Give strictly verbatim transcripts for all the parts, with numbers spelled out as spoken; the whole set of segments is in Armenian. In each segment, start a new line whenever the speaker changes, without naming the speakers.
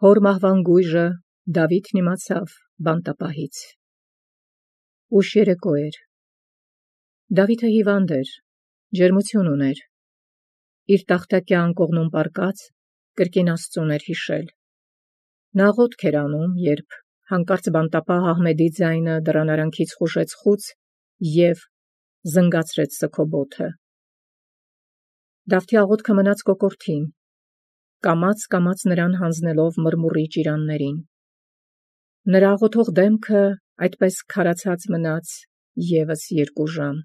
Հոր մահվան գույժը Դավիթն իմացավ բանտապահից։ Ուշ երեկո էր։ Դավիթը հիվանդ էր, ջերմություն ուներ։ Իր տախտակյան կողմում պառկած կրկին Աստծուն էր հիշել։ Նա աղոթք էր անում, երբ հանկարծ բանտապահ Ահմեդի ձայնը դռան արանքից խուժեց խուց և զնգացրեց սգոբոթը։ Դավթի աղոթքը մնաց կոկորդին, կամաց-կամաց նրան հանձնելով մրմուրի ճիրաններին։ Նրա աղոթող դեմքը այդպես քարացած մնաց ևս երկու ժամ։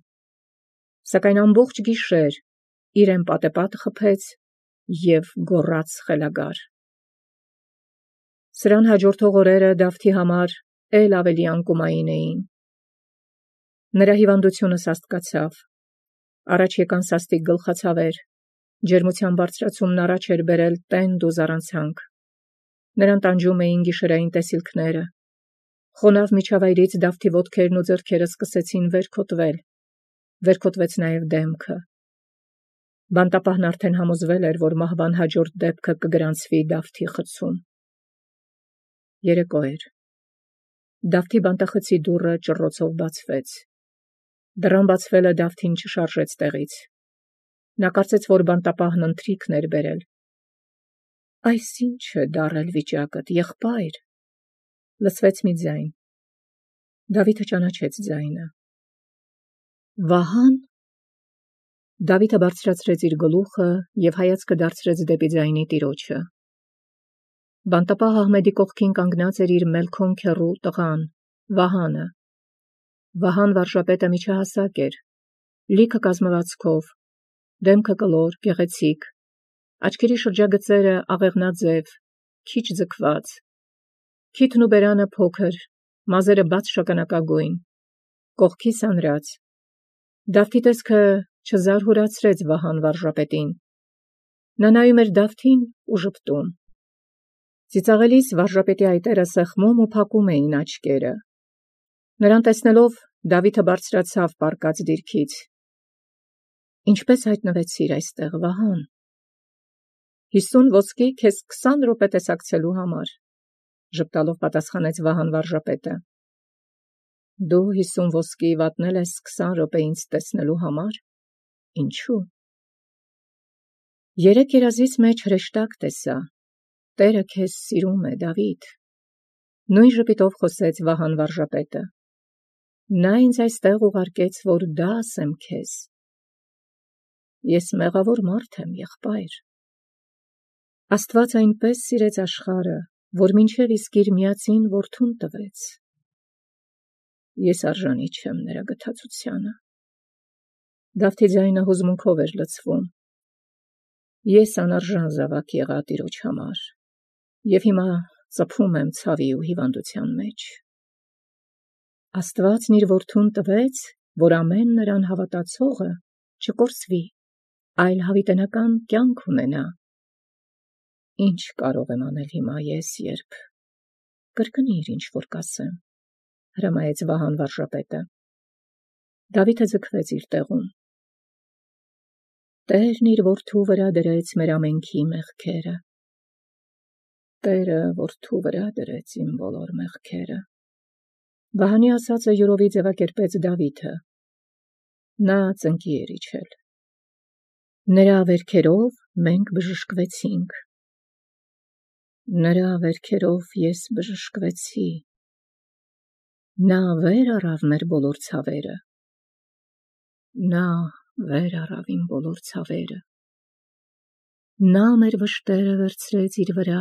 Սակայն ամբողջ գիշեր իրեն պատեպատ խփեց և գոռաց խելագար։ Սրան հաջորդող օրերը Դավթի համար էլ ավելի անկումային էին։ Նրա հիվանդությունը սաստկացավ։ Առաջ եկան սաստիկ գլխացավեր, ջերմության բարձրացումն առաջ էր բերել տենդ ու զառանցանք։ Նրան տանջում էին գիշերային տեսիլքները։ Խոնավ միջավայրից Դավթի ոտքերն ու ձեռքերը սկսեցին վերքոտվել, վերքոտվեց նաև դեմքը։ Բանտապահն արդեն համոզվել էր, որ մահվան հաջորդ դեպքը կգրանցվի Դավթի խցում։ Երեկո էր։ Դավթի բանտախցի դուռը ճռռոցով բացվեց։ Դռան բացվելը Դավթին չշարժեց տեղից։ Նա կարծեց, որ բանտապահն ընթրիքն էր բերել։ Այս ի՞նչ է դառել վիճակդ, եղբայր, լսվեց մի ձայն։ Դավիթը ճանաչեց ձայնը։ Վահա՞ն։ Դավիթը բարձրացրեց իր գլուխը և հայացքը դարձրեց դեպի ձայնի տիրոջը։ Բանտապահ Ահմեդի կողքին կանգնած էր իր մելքոն քեռու տղան, Վահանը։ Վահան վարժապետը միջահասակ էր, լիքը կազմվածքով, դեմքը կլոր, գեղեցիկ, աչքերի շրջագծերը աղեղնաձև, քիչ ձգված, քիթն ու բերանը փոքր, մազերը բաց շագանակագույն, կողքի սանրած։ Դավթի տեսքը չզարհուրացրեց Վահան վարժապետին։ Նա նայում էր Դավթին ու ժպտում։ Ծիծաղելիս վարժապետի այտերը սեղմում ու փակում էին աչքերը։ Նրան տեսնելով Դավիթը բարձրացավ պառկած դիրքից։ Ինչպե՞ս հայտնվեցիր այստեղ, Վահան։ Հիսուն ոսկի քեզ քսան րոպե տեսակցելու համար, ժպտալով պատասխանեց Վահան վարժապետը։ Դու հիսուն ոսկի վատնել ես քսան րոպե ինձ տեսնելու համար։ Ինչու։ Երեք երազից մեջ հրեշտակ տեսա։ Տերը քեզ սիրում է, Դավիթ։ Նույն ժպիտով խոսեց Վահան վարժապետը։ Նա ինձ այստեղ ուղարկեց, որ դա ասեմ քեզ։ Ես մեղավոր մարդ եմ, եղբայր։ Աստված այնպես սիրեց աշխարհը, որ մինչև իսկ իր միածին որդուն տվեց։ Ես արժանի չեմ նրա գթածությանը։ Դավթի ձայնը հուզմունքով էր լցվում։ Ես անարժան զավակ եղա Տիրոջ համար, և հիմա ծփում եմ ցավի ու հիվանդության մեջ։ Աստվածն իր որդուն տվեց, որ ամեն նրան հավատացողը չկորսվի, այլ հավիտենական կյանք ունենա։ Ինչ կարող եմ անել հիմա ես, երբ կրկնիր ինչ որ կասեմ, հրամայեց Վահան վարժապետը։ Դավիթը ձգվեց իր տեղում։ Տերն իր որդու վրա դրեց մեր ամենքի մեղքերը։ Տերը որդու վրա դրեց իմ բոլոր մեղքերը։ Վահանի ասածը յուրովի ձևակերպեց Դավիթը։ Նա ծնկի էր իջել։ Նրա վերքերով մենք բժշկվեցինք։ Նրա վերքերով ես բժշկվեցի։ Նա վեր առավ մեր բոլոր ցավերը։ Նա վեր առավ իմ բոլոր ցավերը։ Նա մեր վշտերը վերցրեց իր վրա։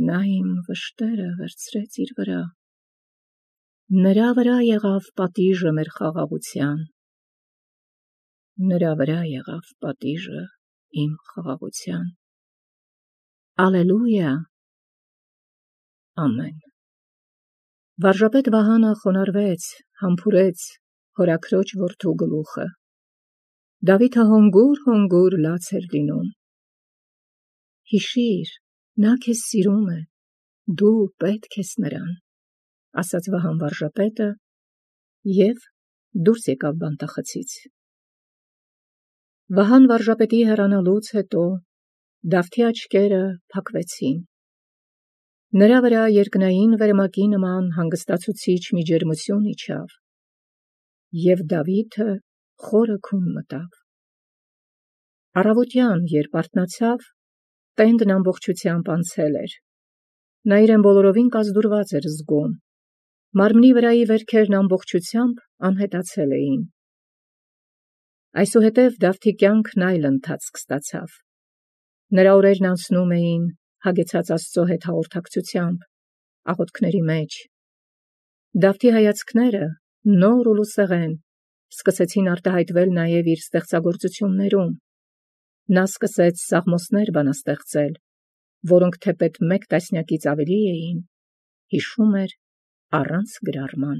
Նա իմ վշտերը վերցրեց իր վրա։ Նրա վրա եղավ պատիժը մեր խաղաղության։ Նրա վրա եղավ պատիժը իմ խաղաղության։ Ալելույա։ Ամեն։ Վարժապետ Վահանը խոնարհվեց, համբուրեց հորաքրոջ որդու գլուխը։ Դավիթը հոնգուր-հոնգուր լաց էր լինում։ Հիշիր, նա քեզ սիրում է, դու պետք ես նրան, ասաց Վահան վարժապետը և դուրս եկավ բանտախցից։ Վահան վարժապետի հեռանալուց հետո Դավթի աչքերը փակվեցին։ Նրա վրա երկնային վերմակի նման հանգստացուցիչ մի ջերմություն իջավ, և Դավիթը խորը քուն մտավ։ Առավոտյան, երբ արթնացավ, տենդն ամբողջությամբ անցել էր։ Նա իրեն բոլորովին կազդուրված էր զգում, մարմնի վրայի վերքերն ամբողջությամբ անհետացել էին։ Այսուհետև Դավթի կյանքն այլ ընթացք ստացավ։ Նրա օրերն անցնում էին հագեցած Աստծո հետ հաղորդակցությամբ, աղոթքների մեջ։ Դավթի հայացքները, նոր ու լուսեղեն, սկսեցին արտահայտվել նաև իր ստեղծագործություններում։ Նա սկսեց սաղմոսներ բանաստեղծել, որոնք թեպետ մեկ տասնյակից ավելի էին, հիշում էր առանց գրառման։